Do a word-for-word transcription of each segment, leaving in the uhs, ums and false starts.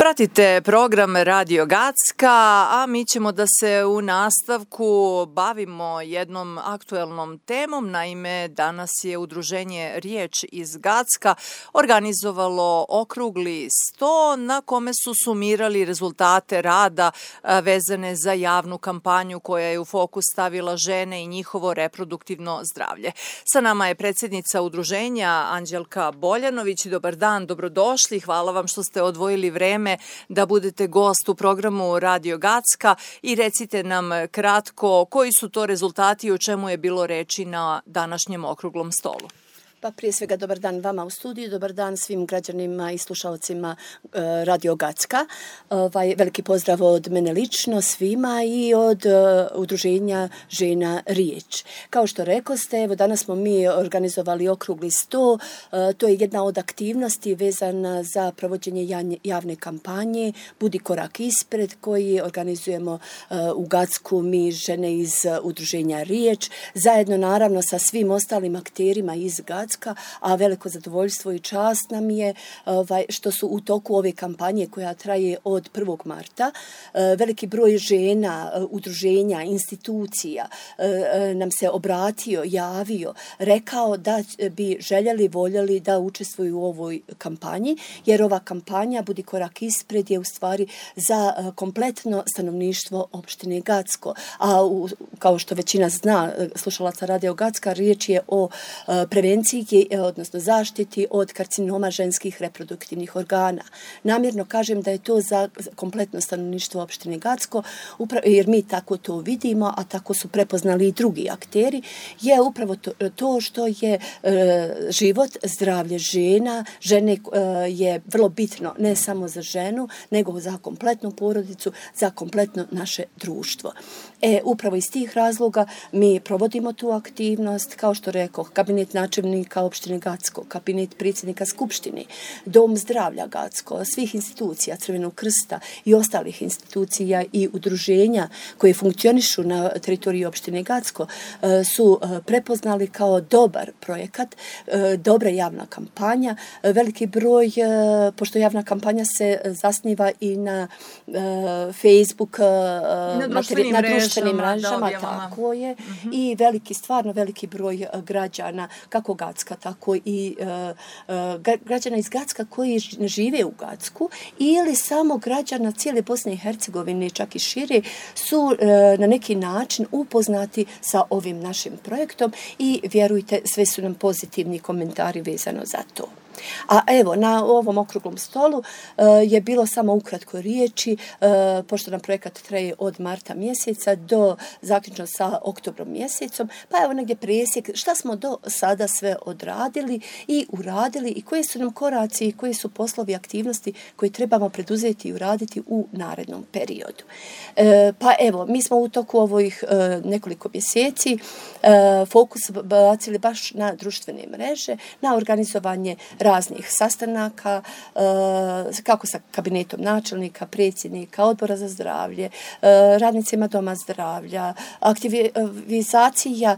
Pratite program Radio Gacka, a mi ćemo da se u nastavku bavimo jednom aktuelnom temom. Naime, danas je udruženje Riječ iz Gacka organizovalo okrugli sto na kome su sumirali rezultate rada vezane za javnu kampanju koja je u fokus stavila žene i njihovo reproduktivno zdravlje. Sa nama je predsjednica udruženja Anđelka Boljanović. Dobar dan, dobrodošli. Hvala vam što ste odvojili vreme da budete gost u programu Radio Gacka i recite nam kratko koji su to rezultati i o čemu je bilo reči na današnjem okruglom stolu. Pa prije svega dobar dan vama u studiju, dobar dan svim građanima i slušalcima e, Radio Gacka. Ovaj, veliki pozdrav od mene lično svima i od e, udruženja Žena Riječ. Kao što rekoste, evo danas smo mi organizovali okrugli sto, e, to je jedna od aktivnosti vezana za provođenje javne kampanje Budi korak ispred, koji organizujemo e, u Gacku mi žene iz udruženja Riječ, zajedno naravno sa svim ostalim akterima iz Gacka. A veliko zadovoljstvo i čast nam je ovaj, što su u toku ove kampanje koja traje od prvog marta veliki broj žena, udruženja, institucija nam se obratio, javio, rekao da bi željeli, voljeli da učestvuju u ovoj kampanji, jer ova kampanja Budi korak ispred je u stvari za kompletno stanovništvo opštine Gacko. A u, kao što većina zna, slušalaca Radio Gacka, riječ je o prevenciji, odnosno zaštiti od karcinoma ženskih reproduktivnih organa. Namjerno kažem da je to za kompletno stanovništvo opštine Gacko, jer mi tako to vidimo, a tako su prepoznali i drugi akteri, je upravo to, to što je e, život, zdravlje žena, žene e, je vrlo bitno ne samo za ženu, nego za kompletnu porodicu, za kompletno naše društvo. E, upravo iz tih razloga mi provodimo tu aktivnost, kao što rekao, kabinet načelnika opštine Gacko, kabinet predsjednika Skupštine, Dom zdravlja Gacko, svih institucija Crvenog krsta i ostalih institucija i udruženja koje funkcionišu na teritoriji opštine Gacko su prepoznali kao dobar projekat, dobra javna kampanja. Veliki broj, pošto javna kampanja se zasniva i na Facebook, na društvenim, na mrežama, društvenim mrežama, tako je, mm-hmm. i veliki, stvarno veliki broj građana, kako Gacka, tako i uh, građana iz Gacka koji žive u Gacku ili samo građana cijele Bosne i Hercegovine, čak i šire, su uh, na neki način upoznati sa ovim našim projektom i vjerujte, sve su nam pozitivni komentari vezano za to. A evo, na ovom okruglom stolu uh, je bilo samo ukratko riječi, uh, pošto nam projekat traje od marta mjeseca do zaključno sa oktobrom mjesecom, pa evo negdje presjek šta smo do sada sve odradili i uradili i koje su nam koraci i koje su poslovi aktivnosti koje trebamo preduzeti i uraditi u narednom periodu. Uh, pa evo, mi smo u toku ovih uh, nekoliko mjeseci uh, fokus bacili baš na društvene mreže, na organizovanje raznih sastanaka, kako sa kabinetom načelnika, predsjednika, odbora za zdravlje, radnicima doma zdravlja, aktivizacija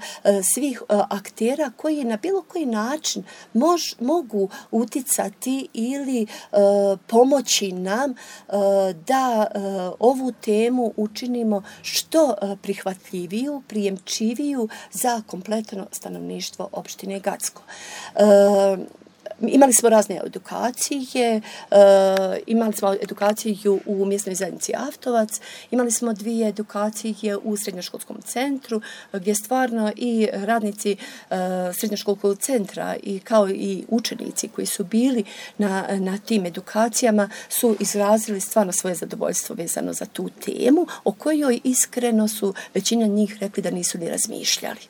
svih aktera koji na bilo koji način mož, mogu uticati ili pomoći nam da ovu temu učinimo što prihvatljiviju, prijemčiviju za kompletno stanovništvo opštine Gacko. Imali smo razne edukacije, uh, imali smo edukaciju u mjesnoj zajednici Avtovac, imali smo dvije edukacije u srednjoškolskom centru, gdje stvarno i radnici uh, srednjoškolskog centra i kao i učenici koji su bili na, na tim edukacijama su izrazili stvarno svoje zadovoljstvo vezano za tu temu, o kojoj iskreno su većina njih rekli da nisu ni razmišljali.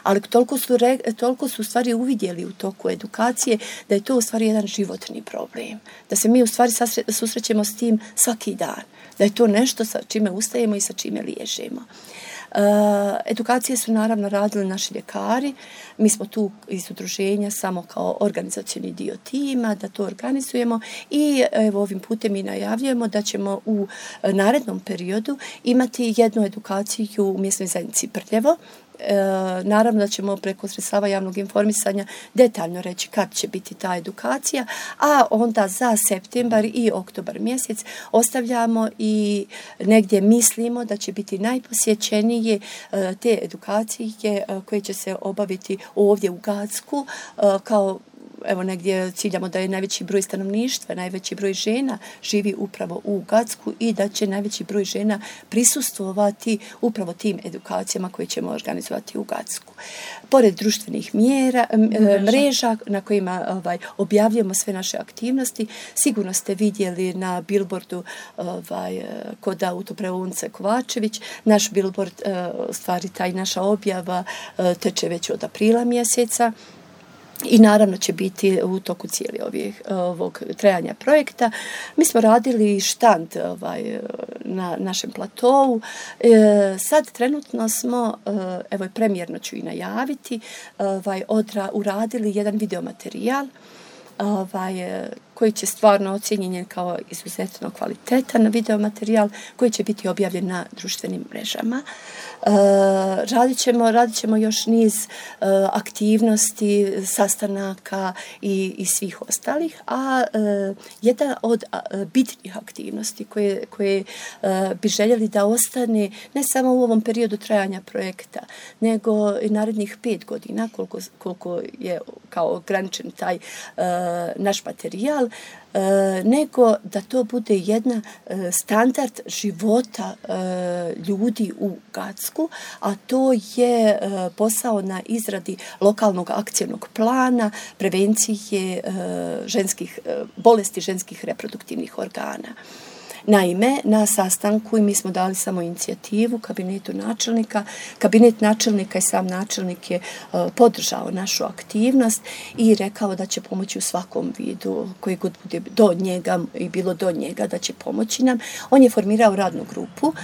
Ali toliko su, re, toliko su stvari uvidjeli u toku edukacije da je to u stvari jedan životni problem. Da se mi u stvari susrećemo s tim svaki dan. Da je to nešto sa čime ustajemo i sa čime liježemo. Uh, edukacije su naravno radili naši ljekari. Mi smo tu iz udruženja samo kao organizacioni dio tima da to organizujemo i evo ovim putem i najavljujemo da ćemo u narednom periodu imati jednu edukaciju u mjesnoj zajednici Prljevo E, naravno da ćemo preko sredstava javnog informisanja detaljno reći kad će biti ta edukacija, a onda za septembar i oktobar mjesec ostavljamo i negdje mislimo da će biti najposjećenije e, te edukacije e, koje će se obaviti ovdje u Gacku e, kao evo negdje ciljamo da je najveći broj stanovništva, najveći broj žena živi upravo u Gacku i da će najveći broj žena prisustvovati upravo tim edukacijama koje ćemo organizovati u Gacku. Pored društvenih mjera, mreža, mreža na kojima ovaj, objavljujemo sve naše aktivnosti, sigurno ste vidjeli na billboardu ovaj, kod autoprevodnice Kovačević, naš billboard, stvari taj naša objava teče već od aprila mjeseca. I naravno će biti u toku cijeli ovih, ovog trajanja projekta. Mi smo radili štand ovaj, na našem platovu. E, sad trenutno smo, evo premijerno ću i najaviti, ovaj, odra, uradili jedan videomaterijal ovaj, koji će stvarno ocijenjen kao izuzetno kvalitetan videomaterijal koji će biti objavljen na društvenim mrežama. E, radit ćemo, radit ćemo još niz e, aktivnosti, sastanaka i, i svih ostalih, a e, jedna od a, bitnih aktivnosti koje, koje e, bi željeli da ostane ne samo u ovom periodu trajanja projekta, nego i narednih pet godina koliko, koliko je kao ograničen taj e, naš materijal, E, nego da to bude jedna e, standard života e, ljudi u Gacku, a to je e, posao na izradi lokalnog akcijnog plana prevencije e, ženskih, e, bolesti ženskih reproduktivnih organa. Naime, na sastanku i mi smo dali samo inicijativu kabinetu načelnika. Kabinet načelnika i sam načelnik je uh, podržao našu aktivnost i rekao da će pomoći u svakom vidu koji god bude do njega i bilo do njega da će pomoći nam. On je formirao radnu grupu uh,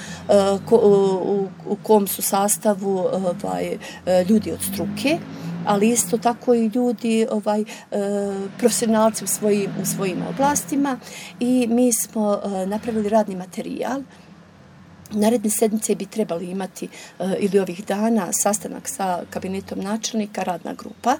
ko, u, u kom su sastavu ovaj, ljudi od struke, ali isto tako i ljudi, ovaj, e, profesionalci u svojim, u svojim oblastima i mi smo e, napravili radni materijal. Naredne sedmice bi trebali imati e, ili ovih dana sastanak sa kabinetom načelnika, radna grupa,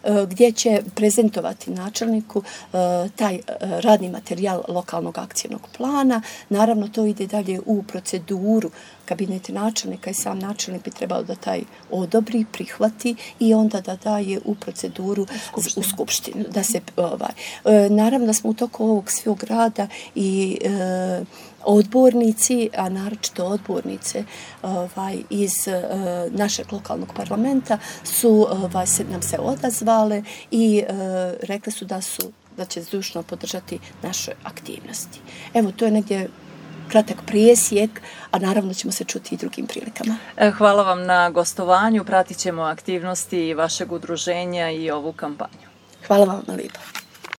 e, gdje će prezentovati načelniku e, taj e, radni materijal lokalnog akcijnog plana. Naravno, to ide dalje u proceduru. Kabinet načelnika i sam načelnik bi trebao da taj odobri, prihvati i onda da daje u proceduru u skupštinu. U skupštinu da se, ovaj, e, naravno da smo u toku ovog svog rada i e, odbornici, a naročito odbornice ovaj, iz uh, našeg lokalnog parlamenta su ovaj, se, nam se odazvale i uh, rekli su da su da će zdušno podržati naše aktivnosti. Evo, to je negdje kratak presjek, a naravno ćemo se čuti i drugim prilikama. Hvala vam na gostovanju, pratit ćemo aktivnosti vašeg udruženja i ovu kampanju. Hvala vam lijepo.